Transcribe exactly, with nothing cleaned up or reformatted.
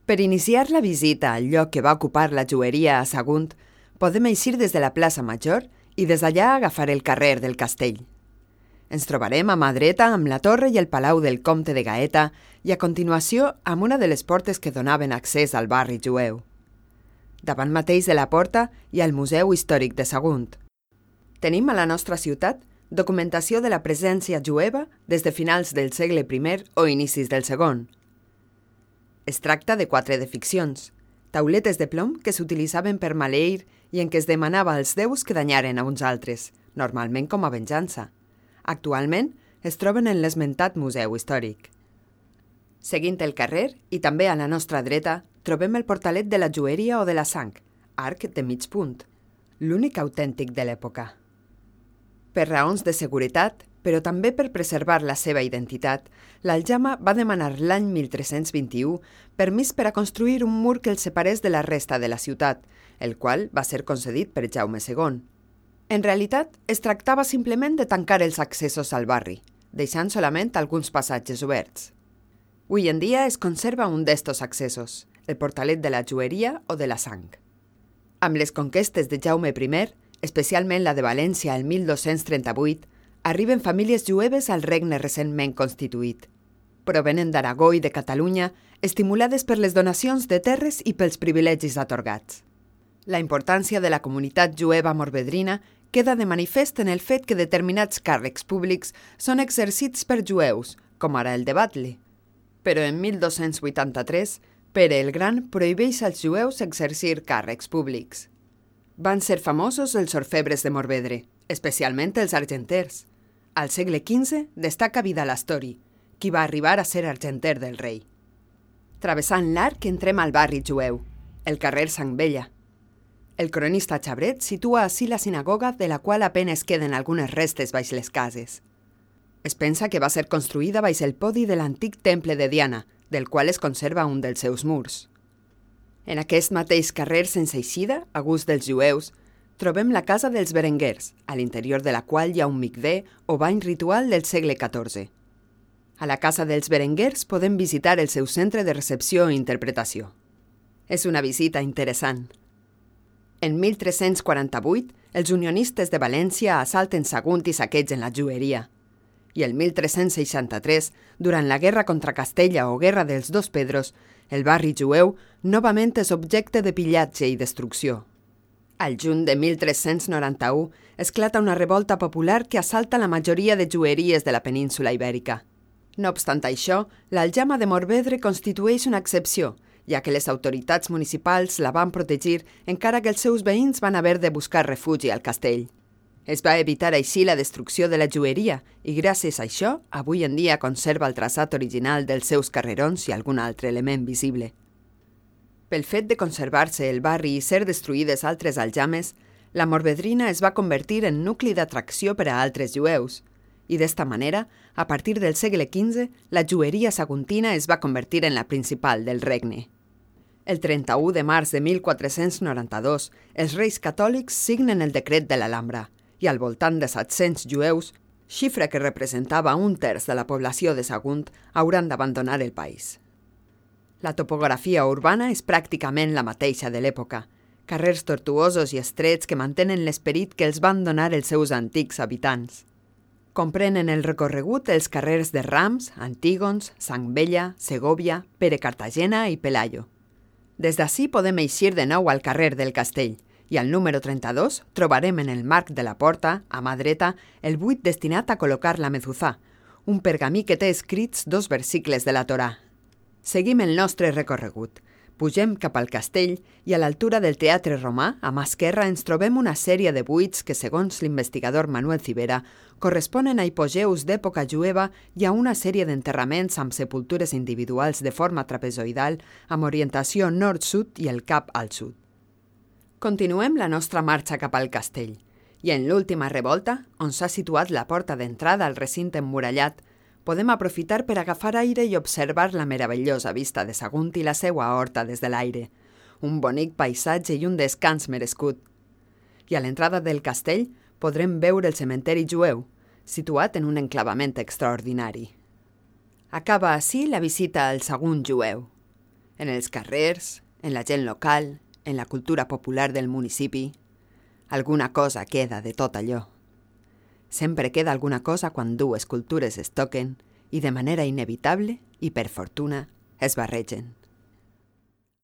Per iniciar la visita al lloc que va ocupar la joieria a Sagunt, podem eixir des de la plaça Major i des d'allà agafar el carrer del Castell. Ens trobarem a mà dreta amb la torre i el palau del comte de Gaeta i a continuació amb una de les portes que donaven accés al barri jueu. Davant mateix de la porta hi ha el Museu Històric de Sagunt. Tenim a la nostra ciutat documentació de la presència jueva des de finals del segle primer o inicis del segon. Es tracta de quatre deficcions, tauletes de plom que s'utilitzaven per maleir i en què es demanava als déus que danyaren a uns altres, normalment com a venjança. Actualment es troben en l'esmentat Museu Històric. Seguint el carrer, i també a la nostra dreta, trobem el portalet de la joieria o de la sang, arc de mig punt, l'únic autèntic de l'època. Per raons de seguretat, però també per preservar la seva identitat, l'Aljama va demanar l'any mil tres-cents vint-i-u permís per a construir un mur que el separés de la resta de la ciutat, el qual va ser concedit per Jaume segon. En realitat, es tractava simplement de tancar els accessos al barri, deixant solament alguns passatges oberts. Avui en dia es conserva un d'estos accessos, el portalet de la joieria o de la sang. Amb les conquestes de Jaume primer, especialment la de València el mil dos-cents trenta-vuit, arriben famílies jueves al regne recentment constituït. Provenen d'Aragó i de Catalunya, estimulades per les donacions de terres i pels privilegis atorgats. La importància de la comunitat jueva morvedrina queda de manifest en el fet que determinats càrrecs públics són exercits per jueus, com ara el de Batle. Però en mil dos-cents vuitanta-tres, Pere el Gran prohibeix als jueus exercir càrrecs públics. Van ser famosos els orfebres de Morvedre, especialment els argenters. Al segle quinze destaca Vidal Astori, qui va arribar a ser argenter del rei. Travessant l'arc entrem al barri jueu, el carrer Sant Vella. El cronista Xabret situa ací la sinagoga de la qual apenes queden algunes restes baix les cases. Es pensa que va ser construïda baix el podi de l'antic temple de Diana, del qual es conserva un dels seus murs. En aquest mateix carrer sense eixida, a gust dels jueus, trobem la casa dels Berenguers, a l'interior de la qual hi ha un micvé o bany ritual del segle catorze. A la casa dels Berenguers podem visitar el seu centre de recepció i interpretació. És una visita interessant. En mil tres-cents quaranta-vuit, els unionistes de València assalten Sagunt i saquegen la joieria. I el mil tres-cents seixanta-tres, durant la guerra contra Castella o guerra dels dos Pedros, el barri jueu novament és objecte de pillatge i destrucció. Al juny de mil tres-cents noranta-u esclata una revolta popular que assalta la majoria de joieries de la península ibèrica. No obstant això, l'Aljama de Morvedre constitueix una excepció, ja que les autoritats municipals la van protegir encara que els seus veïns van haver de buscar refugi al castell. Es va evitar així la destrucció de la joieria i gràcies a això avui en dia conserva el traçat original dels seus carrerons i algun altre element visible. Pel fet de conservar-se el barri i ser destruïdes altres aljames, la Morvedrina es va convertir en nucli d'atracció per a altres jueus i d'esta manera, a partir del segle quinze, la joieria saguntina es va convertir en la principal del regne. El trenta-u de març de mil quatre-cents noranta-dos, els reis catòlics signen el decret de l'Alhambra i al voltant de set-cents jueus, xifra que representava un terç de la població de Sagunt, hauran d'abandonar el país. La topografia urbana és pràcticament la mateixa de l'època, carrers tortuosos i estrets que mantenen l'esperit que els van donar els seus antics habitants. Comprenen el recorregut els carrers de Rams, Antígons, Sant Vella, Segòvia, Pere Cartagena i Pelayo. Des d'ací podem eixir de nou al carrer del Castell i al número trenta-dos trobarem en el marc de la porta, a mà dreta, el buit destinat a col·locar la mezuzà, un pergamí que té escrits dos versicles de la Torà. Seguim el nostre recorregut. Pugem cap al castell i a l'altura del Teatre Romà, a mà esquerra, ens trobem una sèrie de buits que, segons l'investigador Manuel Civera, corresponen a hipogeus d'època jueva i a una sèrie d'enterraments amb sepultures individuals de forma trapezoidal amb orientació nord-sud i el cap al sud. Continuem la nostra marxa cap al castell i en l'última revolta, on s'ha situat la porta d'entrada al recinte emmurallat, podem aprofitar per agafar aire i observar la meravellosa vista de Sagunt i la seua horta des de l'aire, un bonic paisatge i un descans merescut. I a l'entrada del castell podrem veure el cementeri jueu, situat en un enclavament extraordinari. Acaba ací la visita al Sagunt jueu. En els carrers, en la gent local, en la cultura popular del municipi. Alguna cosa queda de tot allò. Sempre queda alguna cosa quan dues cultures es toquen i de manera inevitable i per fortuna es barregen.